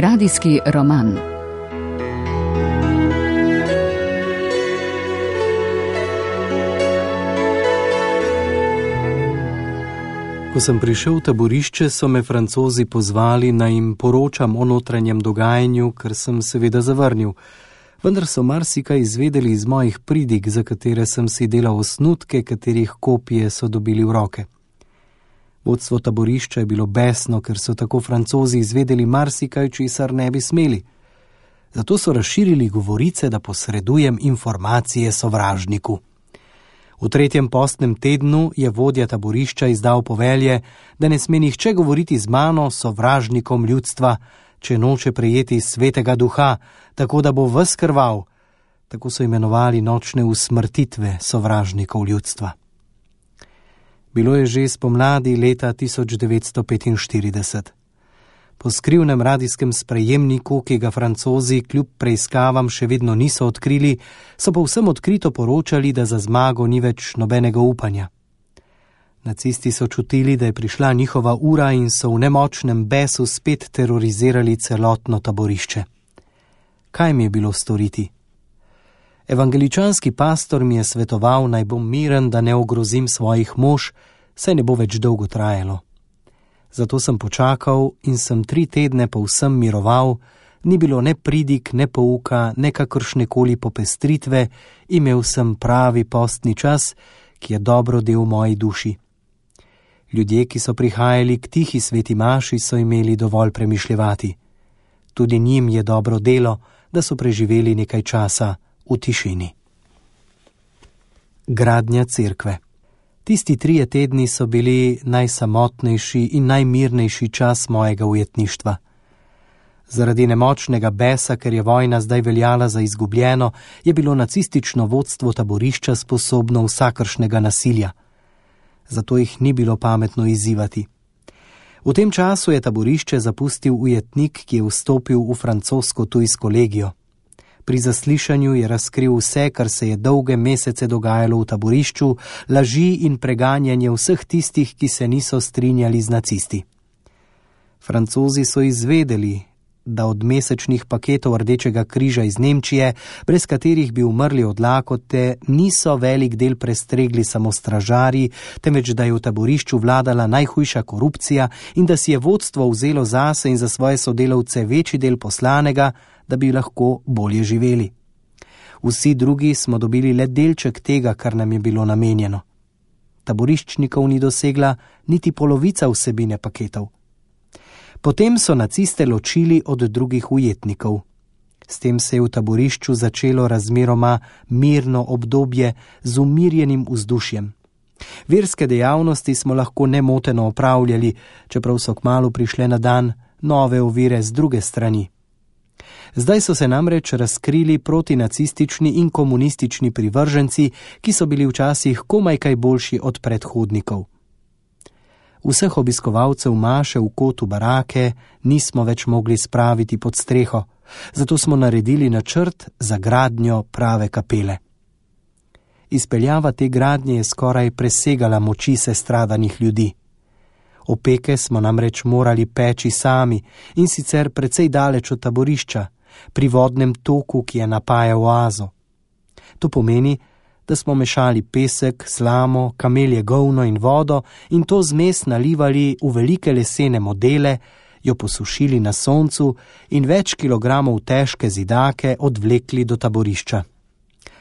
Radijski roman. Ko sem prišel v taborišče, so me Francozi pozvali, naj jim poročam o notranjem dogajanju, kar sem seveda zavrnil. Vendar so marsikaj izvedeli iz mojih pridig, za katere sem si delal osnutke, katerih kopije so dobili v roke. Vodstvo taborišča je bilo besno, ker so tako Francozi izvedeli marsikaj, česar ne bi smeli. Zato so razširili govorice, da posredujem informacije sovražniku. V 3. postnem tednu je vodja taborišča izdal povelje, da ne sme nihče govoriti z mano, sovražnikom ljudstva, če noče prejeti svetega duha, tako da bo ves krval. Tako so imenovali nočne usmrtitve sovražnikov ljudstva. Bilo je že spomladi leta 1945. Po skrivnem radijskem sprejemniku, ki ga Francozi kljub preiskavam še vedno niso odkrili, so povsem odkrito poročali, da za zmago ni več nobenega upanja. Nacisti so čutili, da je prišla njihova ura in so v nemočnem besu spet terorizirali celotno taborišče. Kaj mi je bilo storiti? Evangeličanski pastor mi je svetoval, naj bom miren, da ne ogrozim svojih mož, saj ne bo več dolgo trajalo. Zato sem počakal in sem 3 tedne povsem miroval, ni bilo ne pridig, ne pouka, ne kakršnekoli popestritve, imel sem pravi postni čas, ki je dobro del moji duši. Ljudje, ki so prihajali k tihi sveti maši, so imeli dovolj premišljevati. Tudi njim je dobro delo, da so preživeli nekaj časa v tišini. Gradnja cerkve. Tisti 3 tedni so bili najsamotnejši in najmirnejši čas mojega ujetništva. Zaradi nemočnega besa, ker je vojna zdaj veljala za izgubljeno, je bilo nacistično vodstvo taborišča sposobno vsakršnega nasilja. Zato jih ni bilo pametno izzivati. V tem času je taborišče zapustil ujetnik, ki je vstopil v francosko-tujsko legijo. Pri zaslišanju je razkril vse, kar se je dolge mesece dogajalo v taborišču, laži in preganjanje vseh tistih, ki se niso strinjali z nacisti. Francozi so izvedeli, da od mesečnih paketov Rdečega križa iz Nemčije, brez katerih bi umrli od lakote, niso velik del prestregli samo stražarji, temveč da je v taborišču vladala najhujša korupcija in da si je vodstvo vzelo zase in za svoje sodelavce večji del poslanega, da bi lahko bolje živeli. Vsi drugi smo dobili le delček tega, kar nam je bilo namenjeno. Taboriščnikov ni dosegla niti polovica vsebine paketov. Potem so naciste ločili od drugih ujetnikov. S tem se je v taborišču začelo razmeroma mirno obdobje z umirjenim vzdušjem. Verske dejavnosti smo lahko nemoteno opravljali, čeprav so kmalu prišle na dan nove ovire z druge strani. Zdaj so se namreč razkrili protinacistični in komunistični privrženci, ki so bili včasih komaj kaj boljši od predhodnikov. Vseh obiskovalcev maše v kotu barake nismo več mogli spraviti pod streho, zato smo naredili načrt za gradnjo prave kapele. Izpeljava te gradnje je skoraj presegala moči sestradanih ljudi. Opeke smo namreč morali peči sami in sicer precej daleč od taborišča, pri vodnem toku, ki je napajal oazo. To pomeni, da smo mešali pesek, slamo, kamelje govno in vodo in to zmes nalivali v velike lesene modele, jo posušili na soncu in več kilogramov težke zidake odvlekli do taborišča.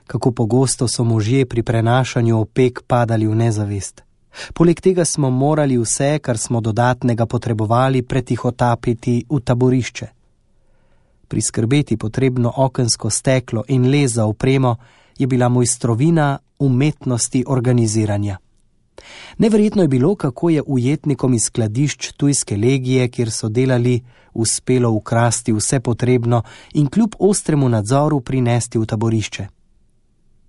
Kako pogosto so možje pri prenašanju opek padali v nezavest. Poleg tega smo morali vse, kar smo dodatnega potrebovali, pretihotapiti v taborišče. Priskrbeti potrebno okensko steklo in les za opremo je bila mojstrovina umetnosti organiziranja. Neverjetno je bilo, kako je ujetnikom iz skladišč tujske legije, kjer so delali, uspelo ukrasti vse potrebno in kljub ostremu nadzoru prinesti v taborišče.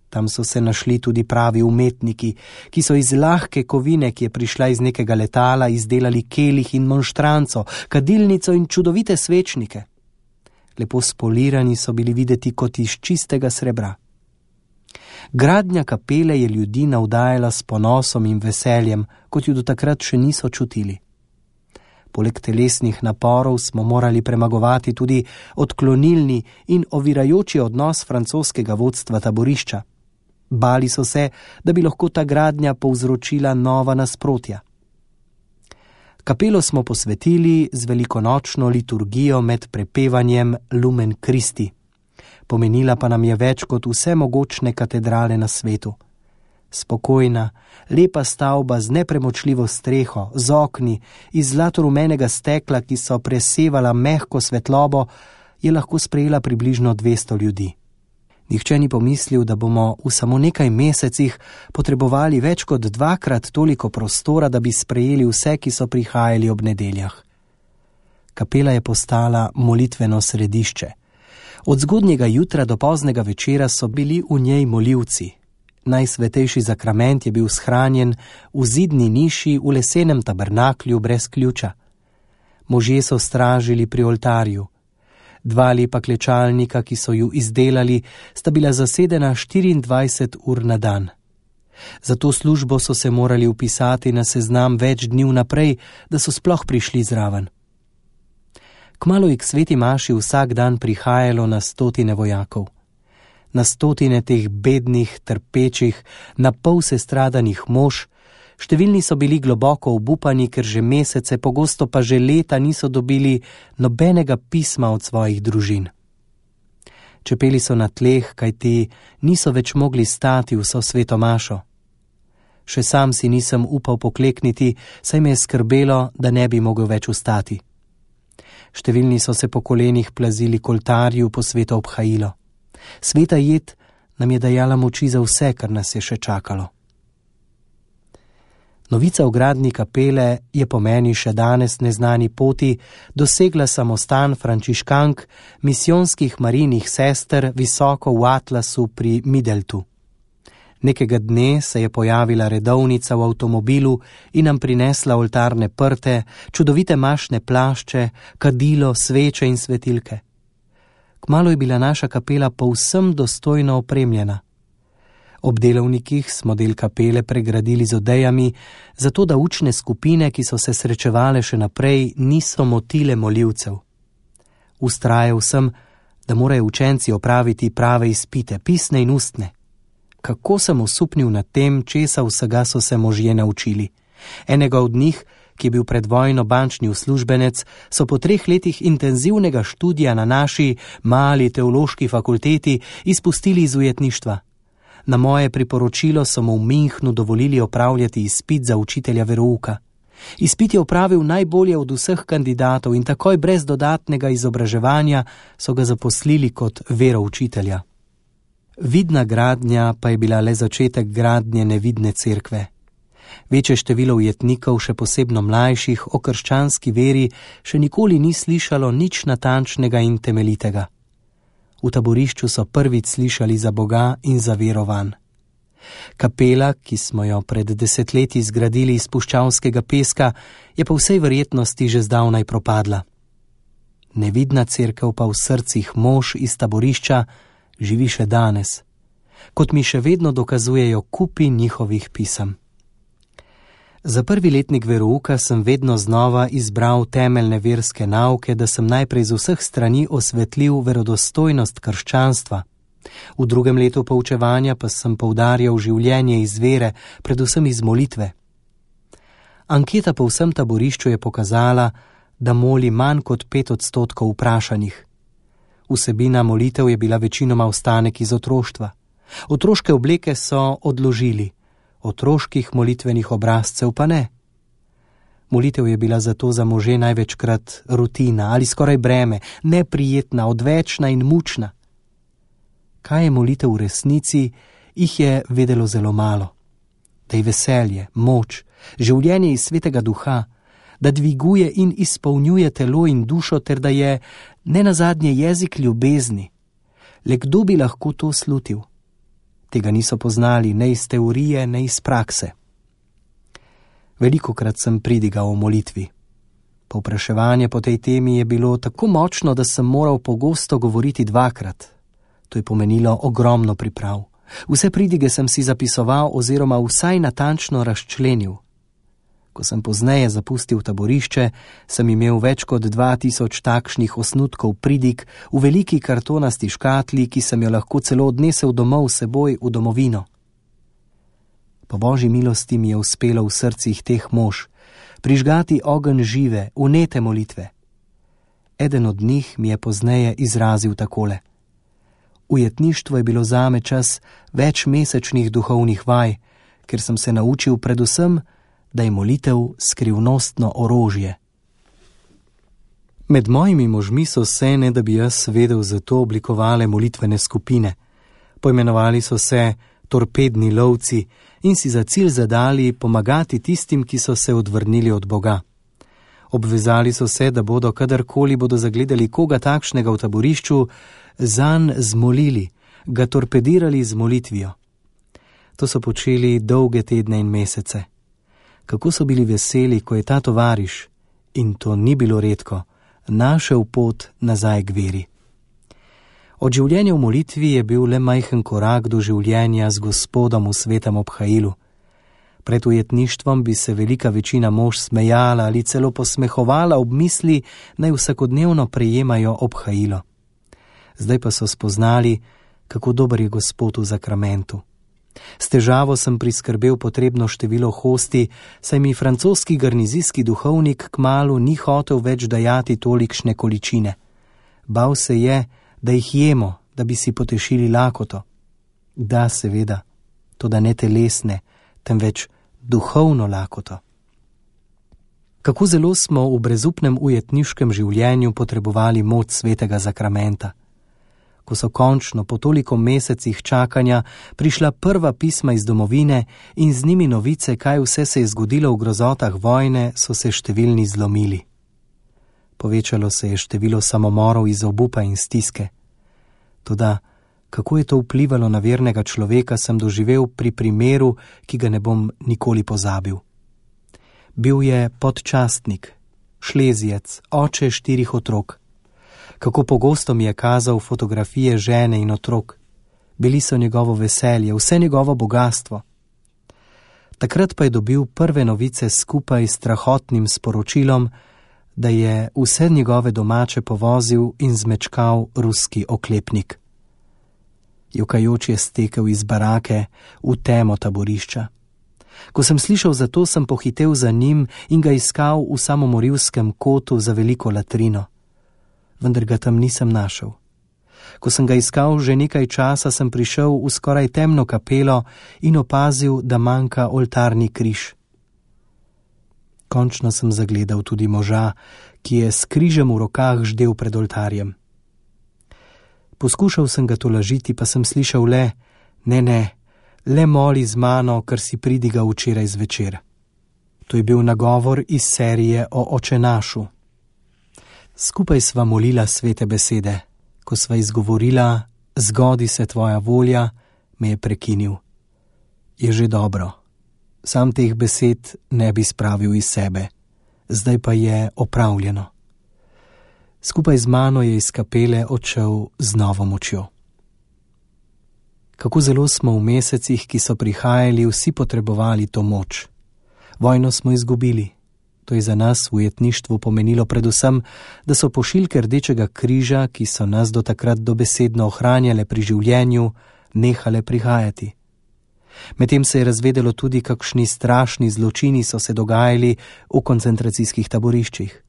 Tam so se našli tudi pravi umetniki, ki so iz lahke kovine, ki je prišla iz nekega letala, izdelali kelih in monštranco, kadilnico in čudovite svečnike. Lepo spolirani so bili videti kot iz čistega srebra. Gradnja kapele je ljudi navdajala s ponosom in veseljem, kot jo do takrat še niso čutili. Poleg telesnih naporov smo morali premagovati tudi odklonilni in ovirajoči odnos francoskega vodstva taborišča. Bali so se, da bi lahko ta gradnja povzročila nova nasprotja. Kapelo smo posvetili z velikonočno liturgijo med prepevanjem Lumen Christi. Pomenila pa nam je več kot vse mogočne katedrale na svetu. Spokojna, lepa stavba z nepremočljivo streho, z okni iz zlatorumenega stekla, ki so presevala mehko svetlobo, je lahko sprejela približno 200 ljudi. Nihče ni pomislil, da bomo v samo nekaj mesecih potrebovali več kot 2-krat toliko prostora, da bi sprejeli vse, ki so prihajali ob nedeljah. Kapela je postala molitveno središče. Od zgodnjega jutra do poznega večera so bili v njej molilci. Najsvetejši zakrament je bil shranjen v zidni niši v lesenem tabernaklju brez ključa. Možje so stražili pri oltarju. 2 lepa klečalnika, ki so ju izdelali, sta bila zasedena 24 ur na dan. Za to službo so se morali vpisati na seznam več dni vnaprej, da so sploh prišli zraven. Kmalu je k sveti maši vsak dan prihajalo na 100 vojakov. Na 100 teh bednih, trpečih, na pol sestradanih mož. Številni so bili globoko obupani, ker že mesece, pogosto pa že leta niso dobili nobenega pisma od svojih družin. Čepeli so na tleh, kajti niso več mogli stati vso sveto mašo. Še sam si nisem upal poklekniti, saj me je skrbelo, da ne bi mogel več vstati. Številni so se po kolenih plazili k oltarju po sveto obhajilo. Sveta jed nam je dajala moči za vse, kar nas je še čakalo. Novica o gradnji kapele je po meni še danes neznani poti dosegla samostan frančiškank misijonskih marinih sester visoko v Atlasu pri Middeltu. Nekega dne se je pojavila redovnica v avtomobilu in nam prinesla oltarne prte, čudovite mašne plašče, kadilo, sveče in svetilke. Kmalu je bila naša kapela povsem dostojno opremljena. Ob delovnikih smo del kapele pregradili z odejami, zato da učne skupine, ki so se srečevale še naprej, niso motile molilcev. Vztrajal sem, da morajo učenci opraviti prave izpite, pisne in ustne. Kako sem osupnil nad tem, česa vsega so se možje naučili. Enega od njih, ki je bil pred vojno bančni uslužbenec, so po 3 letih intenzivnega študija na naši mali teološki fakulteti izpustili iz ujetništva. Na moje priporočilo so mu v Münchnu dovolili opravljati izpit za učitelja verouka. Izpit je opravil najbolje od vseh kandidatov in takoj brez dodatnega izobraževanja so ga zaposlili kot veroučitelja. Vidna gradnja pa je bila le začetek gradnje nevidne cerkve. Večje število ujetnikov, še posebno mlajših, o krščanski veri še nikoli ni slišalo nič natančnega in temeljitega. V taborišču so prvič slišali za Boga in za vero vanj. Kapela, ki smo jo pred 10 leti zgradili iz puščavskega peska, je po vsej verjetnosti že zdavnaj propadla. Nevidna cerkev pa v srcih mož iz taborišča živi še danes, kot mi še vedno dokazujejo kupi njihovih pisem. Za prvi letnik verouka sem vedno znova izbral temeljne verske nauke, da sem najprej z vseh strani osvetlil verodostojnost krščanstva. V 2. letu poučevanja pa sem poudarjal življenje iz vere, predvsem iz molitve. Anketa po vsem taborišču je pokazala, da moli manj kot 5% vprašanih. Vsebina molitev je bila večinoma ostanek iz otroštva. Otroške obleke so odložili, otroških molitvenih obrazcev pa ne. Molitev je bila zato za može največkrat rutina ali skoraj breme, neprijetna, odvečna in mučna. Kaj je molitev v resnici, jih je vedelo zelo malo. Da je veselje, moč, življenje iz svetega duha, da dviguje in izpolnjuje telo in dušo, ter da je nenazadnje jezik ljubezni. Le kdo bi lahko to slutil? Tega niso poznali ne iz teorije, ne iz prakse. Velikokrat sem pridigal o molitvi. Povpraševanje po tej temi je bilo tako močno, da sem moral pogosto govoriti 2-krat. To je pomenilo ogromno priprav. Vse pridige sem si zapisoval oziroma vsaj natančno razčlenil. Ko sem pozneje zapustil taborišče, sem imel več kot 2000 takšnih osnutkov pridig v veliki kartonasti škatli, ki sem jo lahko celo odnesel domov s seboj v domovino. Po Božji milosti mi je uspelo v srcih teh mož prižgati ogenj žive, vnete molitve. Eden od njih mi je pozneje izrazil takole: Ujetništvo je bilo zame čas večmesečnih duhovnih vaj, ker sem se naučil predvsem, da je molitev skrivnostno orožje. Med mojimi možmi so se, ne da bi jaz vedel za to, oblikovale molitvene skupine. Poimenovali so se torpedni lovci in si za cilj zadali pomagati tistim, ki so se odvrnili od Boga. Obvezali so se, da bodo, kadarkoli bodo zagledali koga takšnega v taborišču, zanj zmolili, ga torpedirali z molitvijo. To so počeli dolge tedne in mesece. Kako so bili veseli, ko je ta tovariš, in to ni bilo redko, našel pot nazaj k veri. Od življenja v molitvi je bil le majhen korak do življenja z Gospodom v svetem obhajilu. Pred ujetništvom bi se velika večina mož smejala ali celo posmehovala ob misli, naj vsakodnevno prejemajo obhajilo. Zdaj pa so spoznali, kako dober je Gospod v zakramentu. S težavo sem priskrbel potrebno število hosti, saj mi francoski garnizijski duhovnik kmalu ni hotel več dajati tolikšne količine. Bal se je, da jih jemo, da bi si potešili lakoto. Da, seveda, toda ne telesne, temveč duhovno lakoto. Kako zelo smo v brezupnem ujetniškem življenju potrebovali moč svetega zakramenta. Ko so končno po toliko mesecih čakanja prišla prva pisma iz domovine in z njimi novice, kaj vse se je zgodilo v grozotah vojne, so se številni zlomili. Povečalo se je število samomorov iz obupa in stiske. Toda, kako je to vplivalo na vernega človeka, sem doživel pri primeru, ki ga ne bom nikoli pozabil. Bil je podčastnik, šlezijec, oče 4 otrok. Kako pogosto mi je kazal fotografije žene in otrok. Bili so njegovo veselje, vse njegovo bogastvo. Takrat pa je dobil prve novice skupaj s strahotnim sporočilom, da je vse njegove domače povozil in zmečkal ruski oklepnik. Jokajoč je stekel iz barake v temo taborišča. Ko sem slišal za to, sem pohitel za njim in ga iskal v samomorilskem kotu za veliko latrino. Vendar ga tam nisem našel. Ko sem ga iskal že nekaj časa, sem prišel v skoraj temno kapelo in opazil, da manjka oltarni križ. Končno sem zagledal tudi moža, ki je s križem v rokah ždel pred oltarjem. Poskušal sem ga tolažiti, pa sem slišal le, le moli z mano, ker si pridigal včeraj zvečer. To je bil nagovor iz serije o Očenašu. Skupaj sva molila svete besede. Ko sva izgovorila, zgodi se tvoja volja, me je prekinil. Je že dobro. Sam teh besed ne bi spravil iz sebe. Zdaj pa je opravljeno. Skupaj z mano je iz kapele odšel z novo močjo. Kako zelo smo v mesecih, ki so prihajali, vsi potrebovali to moč. Vojno smo izgubili. To je za nas v ujetništvu pomenilo predvsem, da so pošiljke Rdečega križa, ki so nas do takrat dobesedno ohranjale pri življenju, nehale prihajati. Medtem se je razvedelo tudi, kakšni strašni zločini so se dogajali v koncentracijskih taboriščih.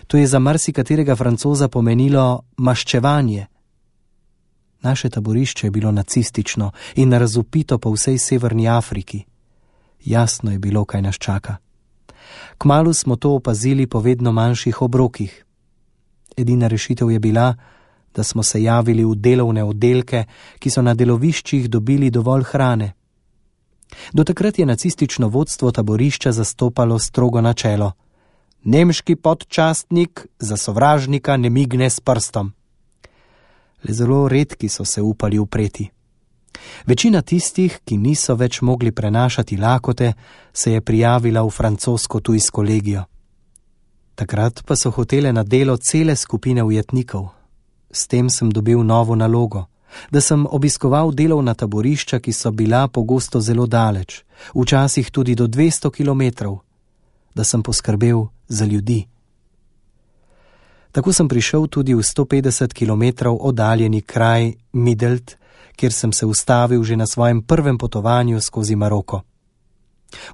To je za marsikaterega Francoza pomenilo maščevanje. Naše taborišče je bilo nacistično in razvpito po vsej severni Afriki. Jasno je bilo, kaj nas čaka. Kmalu smo to opazili po vedno manjših obrokih. Edina rešitev je bila, da smo se javili v delovne oddelke, ki so na deloviščih dobili dovolj hrane. Do takrat je nacistično vodstvo taborišča zastopalo strogo načelo: nemški podčastnik za sovražnika ne migne s prstom. Le zelo redki so se upali upreti. Večina tistih, ki niso več mogli prenašati lakote, se je prijavila v francosko tujsko legijo. Takrat pa so hotele na delo cele skupine ujetnikov. S tem sem dobil novo nalogo, da sem obiskoval delovna taborišča, ki so bila pogosto zelo daleč, včasih tudi do 200 kilometrov. da sem poskrbel za ljudi. Tako sem prišel tudi v 150 km oddaljeni kraj Midelt, kjer sem se ustavil že na svojem prvem potovanju skozi Maroko.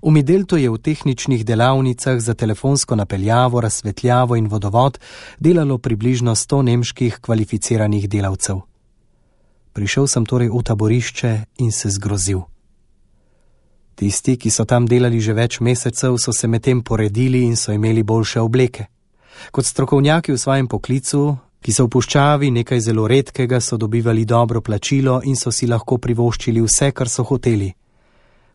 V Mideltu je v tehničnih delavnicah za telefonsko napeljavo, razsvetljavo in vodovod delalo približno 100 nemških kvalificiranih delavcev. Prišel sem torej v taborišče in se zgrozil. Tisti, ki so tam delali že več mesecev, so se medtem poredili in so imeli boljše obleke. Kot strokovnjaki v svojem poklicu, ki so v puščavi nekaj zelo redkega, so dobivali dobro plačilo in so si lahko privoščili vse, kar so hoteli.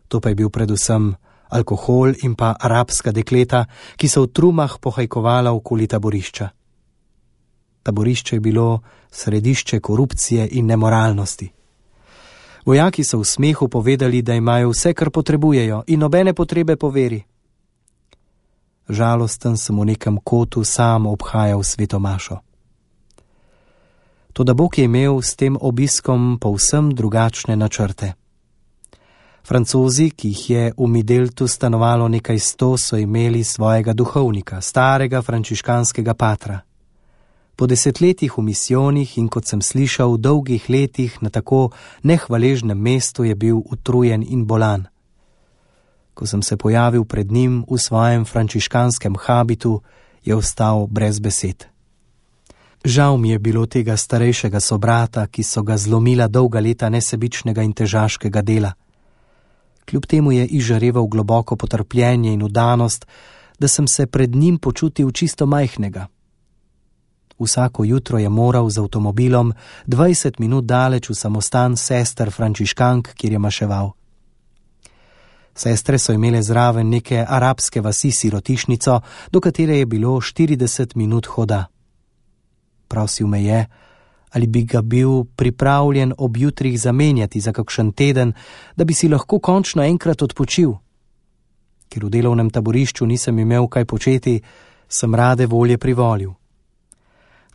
To pa je bil predvsem alkohol in pa arabska dekleta, ki so v trumah pohajkovala okoli taborišča. Taborišče je bilo središče korupcije in nemoralnosti. Vojaki so v smehu povedali, da imajo vse, kar potrebujejo in nobene potrebe po veri. Žalosten sem v nekem kotu sam obhajal sveto mašo. Toda Bog je imel s tem obiskom povsem drugačne načrte. Francozi, ki jih je v Mideltu stanovalo nekaj 100, so imeli svojega duhovnika, starega frančiškanskega patra. Po desetletjih v misijonih in, kot sem slišal, v dolgih letih na tako nehvaležnem mestu je bil utrujen in bolan. Ko sem se pojavil pred njim v svojem frančiškanskem habitu, je ostal brez besed. Žal mi je bilo tega starejšega sobrata, ki so ga zlomila dolga leta nesebičnega in težaškega dela. Kljub temu je izžareval globoko potrpljenje in vdanost, da sem se pred njim počutil čisto majhnega. Vsako jutro je moral z avtomobilom 20 minut daleč v samostan sester frančiškank, kjer je maševal. Sestre so imele zraven neke arabske vasi sirotišnico, do katere je bilo 40 minut hoda. Prosil me je, ali bi ga bil pripravljen ob jutrih zamenjati za kakšen teden, da bi si lahko končno enkrat odpočil. Ker v delovnem taborišču nisem imel kaj početi, sem rade volje privolil.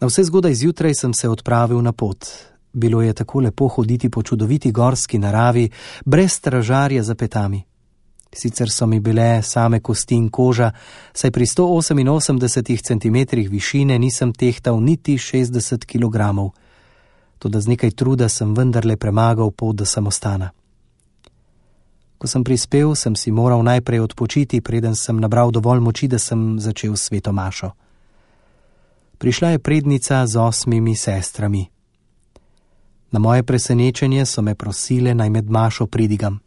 Na vse zgodaj zjutraj sem se odpravil na pot. Bilo je tako lepo hoditi po čudoviti gorski naravi, brez stražarja za petami. Sicer so mi bile same kosti in koža, saj pri 188 cm višine nisem tehtal niti 60 kg. Toda z nekaj truda sem vendarle premagal pot do samostana. Ko sem prispel, sem si moral najprej odpočiti, preden sem nabral dovolj moči, da sem začel sveto mašo. Prišla je prednica z 8 sestrami. Na moje presenečenje so me prosile, naj med mašo pridigam.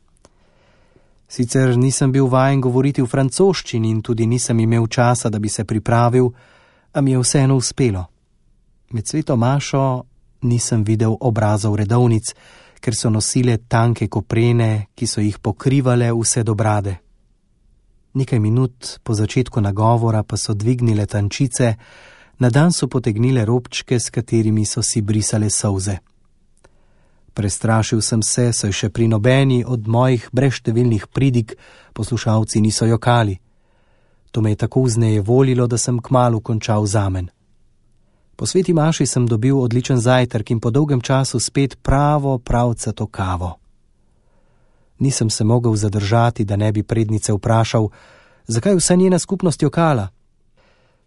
Sicer nisem bil vajen govoriti v francoščini in tudi nisem imel časa, da bi se pripravil, a mi je vseeno uspelo. Med sveto mašo nisem videl obrazov redovnic, ker so nosile tanke koprene, ki so jih pokrivale vse do brade. Nekaj minut po začetku nagovora pa so dvignile tančice, na dan so potegnile robčke, s katerimi so si brisale solze. Prestrašil sem se, saj še pri nobeni od mojih brezštevilnih pridig poslušalci niso jokali. To me je tako vznejevolilo, da sem kmalu končal zamen. Po sveti maši sem dobil odličen zajtrk in po dolgem času spet pravcato kavo. Nisem se mogel zadržati, da ne bi prednice vprašal, zakaj vsa njena skupnost jokala.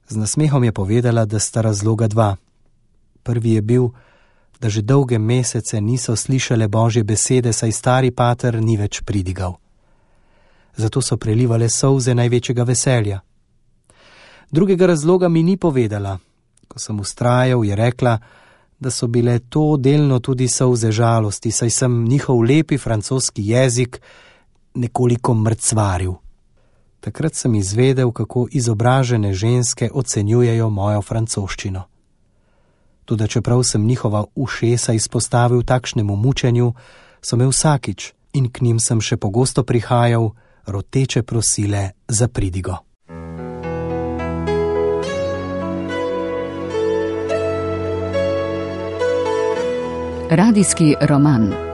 Z nasmehom je povedala, da sta razloga dva. Prvi je bil, da že dolge mesece niso slišale Božje besede, saj stari pater ni več pridigal. Zato so prelivale solze največjega veselja. Drugega razloga mi ni povedala. Ko sem vztrajal, je rekla, da so bile to delno tudi solze žalosti, saj sem njihov lepi francoski jezik nekoliko mrcvaril. Takrat sem izvedel, kako izobražene ženske ocenjujejo mojo francoščino. Toda čeprav sem njihova ušesa izpostavil takšnemu mučenju, so me vsakič, in k njim sem še pogosto prihajal, roteče prosile za pridigo. Radijski roman.